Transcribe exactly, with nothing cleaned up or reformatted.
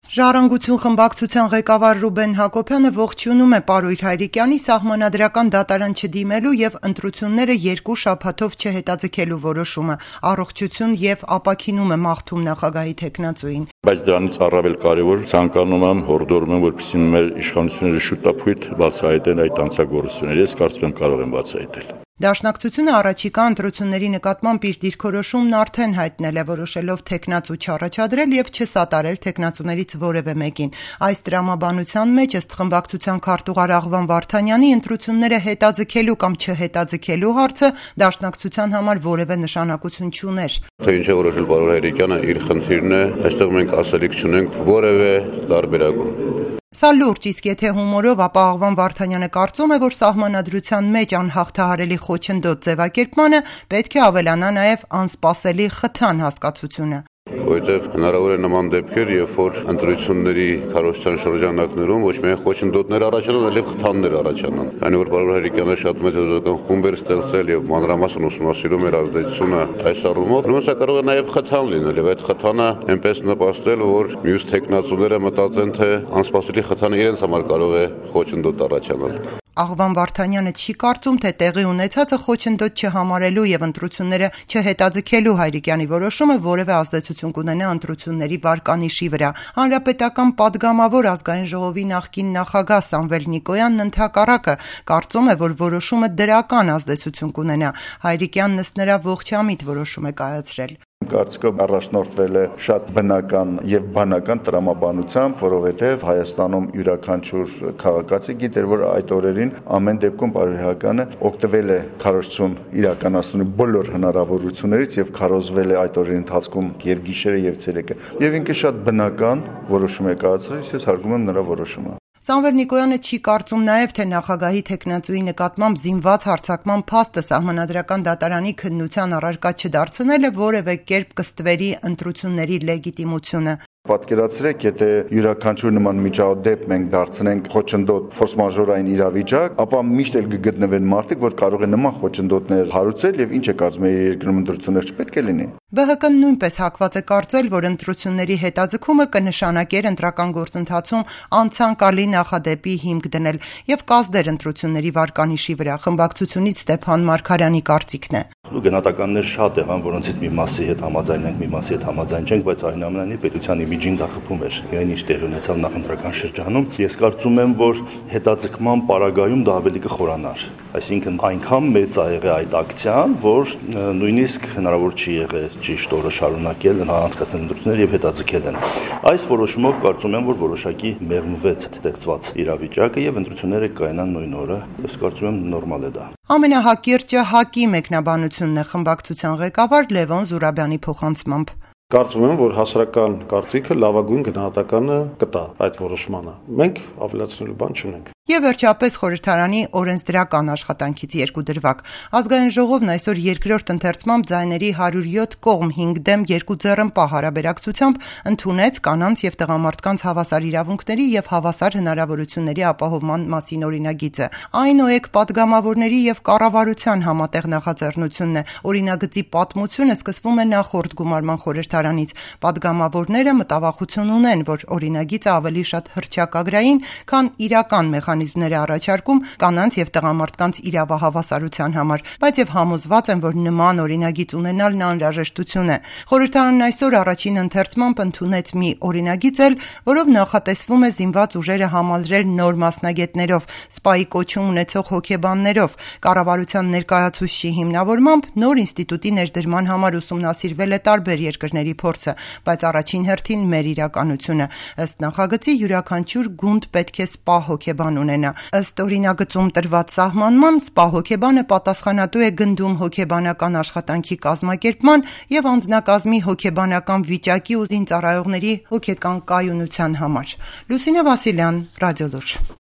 Ժառանգություն խմբակցության ղեկավար Ռուբեն Հակոբյանը ողջունում է Պարույր Հայրիկյանի սահմանադրական դատարան չդիմելու եւ ընտրությունները երկու շաբաթով չհետաձգելու որոշումը, առողջություն եւ ապաքինում է մաղթում նախագահի թեկնածուին։ Բայց դրանից առավել կարևոր ցանկանում եմ հորդորում եմ, որպեսզի մեր իշխանությունները շուտապույտ բացահայտեն այդ անձնագործությունները, ես կարծում եմ կարող են բացահայտել։ Դաշնակցությունը առաջիկա ընտրությունների նկատմամբ իր դիրքորոշումն արդեն հայտնել է, որոշելով թեկնածու չառաջադրել եւ չսատարել թեկնածուներից որևէ մեկին։ Այս տրամաբանության մեջ ըստ խմբակցության քարտուղար Աղվան Վարդանյանի ընտրությունները հետաձգելու կամ չհետաձգելու հարցը դաշնակցության համար որևէ նշանակություն չուներ։ Թե ինչ է որոշել պարոն Հայրիկյանը, իր խնդիրն է, այստեղ մենք ասելիք չունենք որևէ տարբերակում։ Սա լուրջ, իսկ եթե հումորով, ապա Աղվան Վարդանյանը կարծում է, որ սահմանադրության մեջ անհաղթահարելի խոչընդոտ ձևակերպմանը պետք է ավելանա նաև անսպասելի խթան հասկացությունը։ Որովհետև հնարավոր է նման դեպքեր, երբ որ ընտրությունների քարոզչության շրջանակներում ոչ միայն խոչընդոտներ առաջանան, այլև խթաններ առաջանան։ Այն որ պարոն Հայրիկյանը շատ մեծ հետազոտական խումբ էր ստեղծել եւ մանրամասն ուսումնասիրում էր ազդեցությունը այս առումով, ուրեմն սա կարող է նաև խթան լինել եւ այդ խթանը այնպես նպաստել, որ մյուս թեկնածուները մտածեն, թե անսպասելի խթանը իրենց համար կարող է խոչընդոտ առաջանալ։ Աղվան Վարդանյանը չի կարծում, թե տեղի ունեցածը խոչընդոտ չհամարելու եւ ընտրությունները չհետաձգելու Հայրիկյանի որոշումը որևէ ազդեցություն կունենա ընտրությունների վարկանիշի վրա։ Հանրապետական падգամավոր ազգային ժողովի նախկին նախագահ Սամվել Նիկոյանն ընդհակառակը կարծում է, որ որոշումը դրական ազդեցություն կունենա։ Հայրիկյանն ըստ նրա ողջամիտ որոշում է կայացրել։ Կարծիքով առաջնորդվել է շատ բնական եւ բանական տրամաբանությամբ, որովհետեւ Հայաստանում յուրաքանչյուր քաղաքացի գիտեր, որ այդ օրերին ամեն դեպքում պարոն Հայրիկյանը օգտվել է քարոզչություն իրականացնելու բոլոր հնարավորություններից եւ քարոզվել է այդ օրերի ընթացքում եւ գիշերը եւ ցերեկը։ Եվ ինքը շատ բնական որոշում է կայացրել, ես հարգում եմ նրա որոշումը։ Սամվել Նիկոյանը չի կարծում նաև, թե նախագահի թեկնածուի նկատմամբ զինված հարձակման փաստը սահմանադրական դատարանի քննության առարկա չդարձնելը որևէ կերպ կստվերի ընտրությունների լեգիտիմությունը։ Պատկերացրեք, եթե յուրաքանչյուր նման միջադեպ մենք դարձնենք խոչընդոտ ֆորս մաժորային իրավիճակ, ապա միշտ էլ կգտնվեն մարդիկ, որ կարող են նման խոչընդոտներ հարուցել եւ ինչ է կարծում եք երկրում ընտրություններ չպետք է լինի։ Բ Հ Կ-ն նույնպես հակված է կարծել, որ ընտրությունների հետաձգումը կնշանակեր ընտրական գործընթացում անցանկալի նախադեպի հիմք դնել եւ կազդեր ընտրությունների վարկանիշի վրա։ Խմբակցությունից Ստեփան Մարգարյանի կարծիքն է։ Գնահատականներ շատ եղան, որոնցից մի մասի հետ համաձայն ենք, մի մասի հետ համաձայն չենք, բայց այնուամենայնիվ պետության իմիջին դա խփում էր։ Այն ինչ տեղի ունեցավ նախընտրական շրջանում, ես կարծում եմ, որ հետաձգման պարագայում դա ավելի կխորանար։ Այսինքն այնքան մեծ ա եղել այդ ակցիան, որ նույնիսկ հնարավոր չի եղել ճիշտ օրը շարունակել անցկացնել ընտրություններ եւ հետաձգել են։ Այս որոշումով կարծում եմ, որ որոշակի մեղմվեց ստեղծված իրավիճակը եւ ընտրությունները կայանան նույն օրը։ Ես կարծում եմ նորմալ է դա։ Ամենահակիրճը ՀԱԿ-ի մեկնաբանությունն է խմբակցության ղեկավար Լևոն Զուրաբյանի փոխանցմամբ։ Կարծում եմ, որ հասարակական կարծիքը լավագույն գնահատականը կտա այդ որոշմանը։ Մենք ավելացնելու բան չունենք։ Եվ վերջապես խորհրդարանի օրենսդրական աշխատանքից երկու դրվագ։ Ազգային ժողովն այսօր երկրորդ ընթերցմամբ ձայների հարյուր յոթ կողմ հինգ դեմ երկու ձեռնպահ հարաբերակցությամբ ընդունեց կանանց եւ տղամարդկանց հավասար իրավունքների եւ հավասար հնարավորությունների ապահովման մասին օրինագիծը։ Այն ՕԵԿ падգամավորների եւ կառավարության համատեղ նախաձեռնությունն է։ Օրինագծի պատմությունը սկսվում է նախորդ գումարման խորհրդարանից։ Падգամավորները մտավախություն ունեն, որ օրինագիծը ավելի շատ հռչակագրային, քան իրական մեխանիզմներ է առաջարկում կանանց եւ տղամարդկանց իրավահավասարության համար, բայց եւ համոզված են, որ նման օրինագիծ ունենալն անհրաժեշտություն է։ Խորհրդարանն այսօր առաջին ընթերցմամբ ընդունեց մի օրինագիծ, որով նախատեսվում է զինված ուժերը համալրել նոր մասնագետներով, սպայի կոչում ունեցող հոգեբաններով։ Կառավարության ներկայացուցչի հիմնավորմամբ նոր ինստիտուտի ներդրման համար ուսումնասիրվել է տարբեր երկրների փորձը, բայց առաջին հերթին մեր իրականությունը։ Ըստ նախագծի յուրաքանչյուր գունդ պետք է սպա հոգեբան ունենա։ Ըստ օրինագծում տրված սահմանման սպա հոգեբանը պատասխանատու է գնդում հոգեբանական աշխատանքի կազմակերպման եւ անձնակազմի հոգեբանական վիճակի ու զինծառայողների հոգեկան կայունության համար։ Լուսինե Վասիլյան, Ռադիոլուրջ։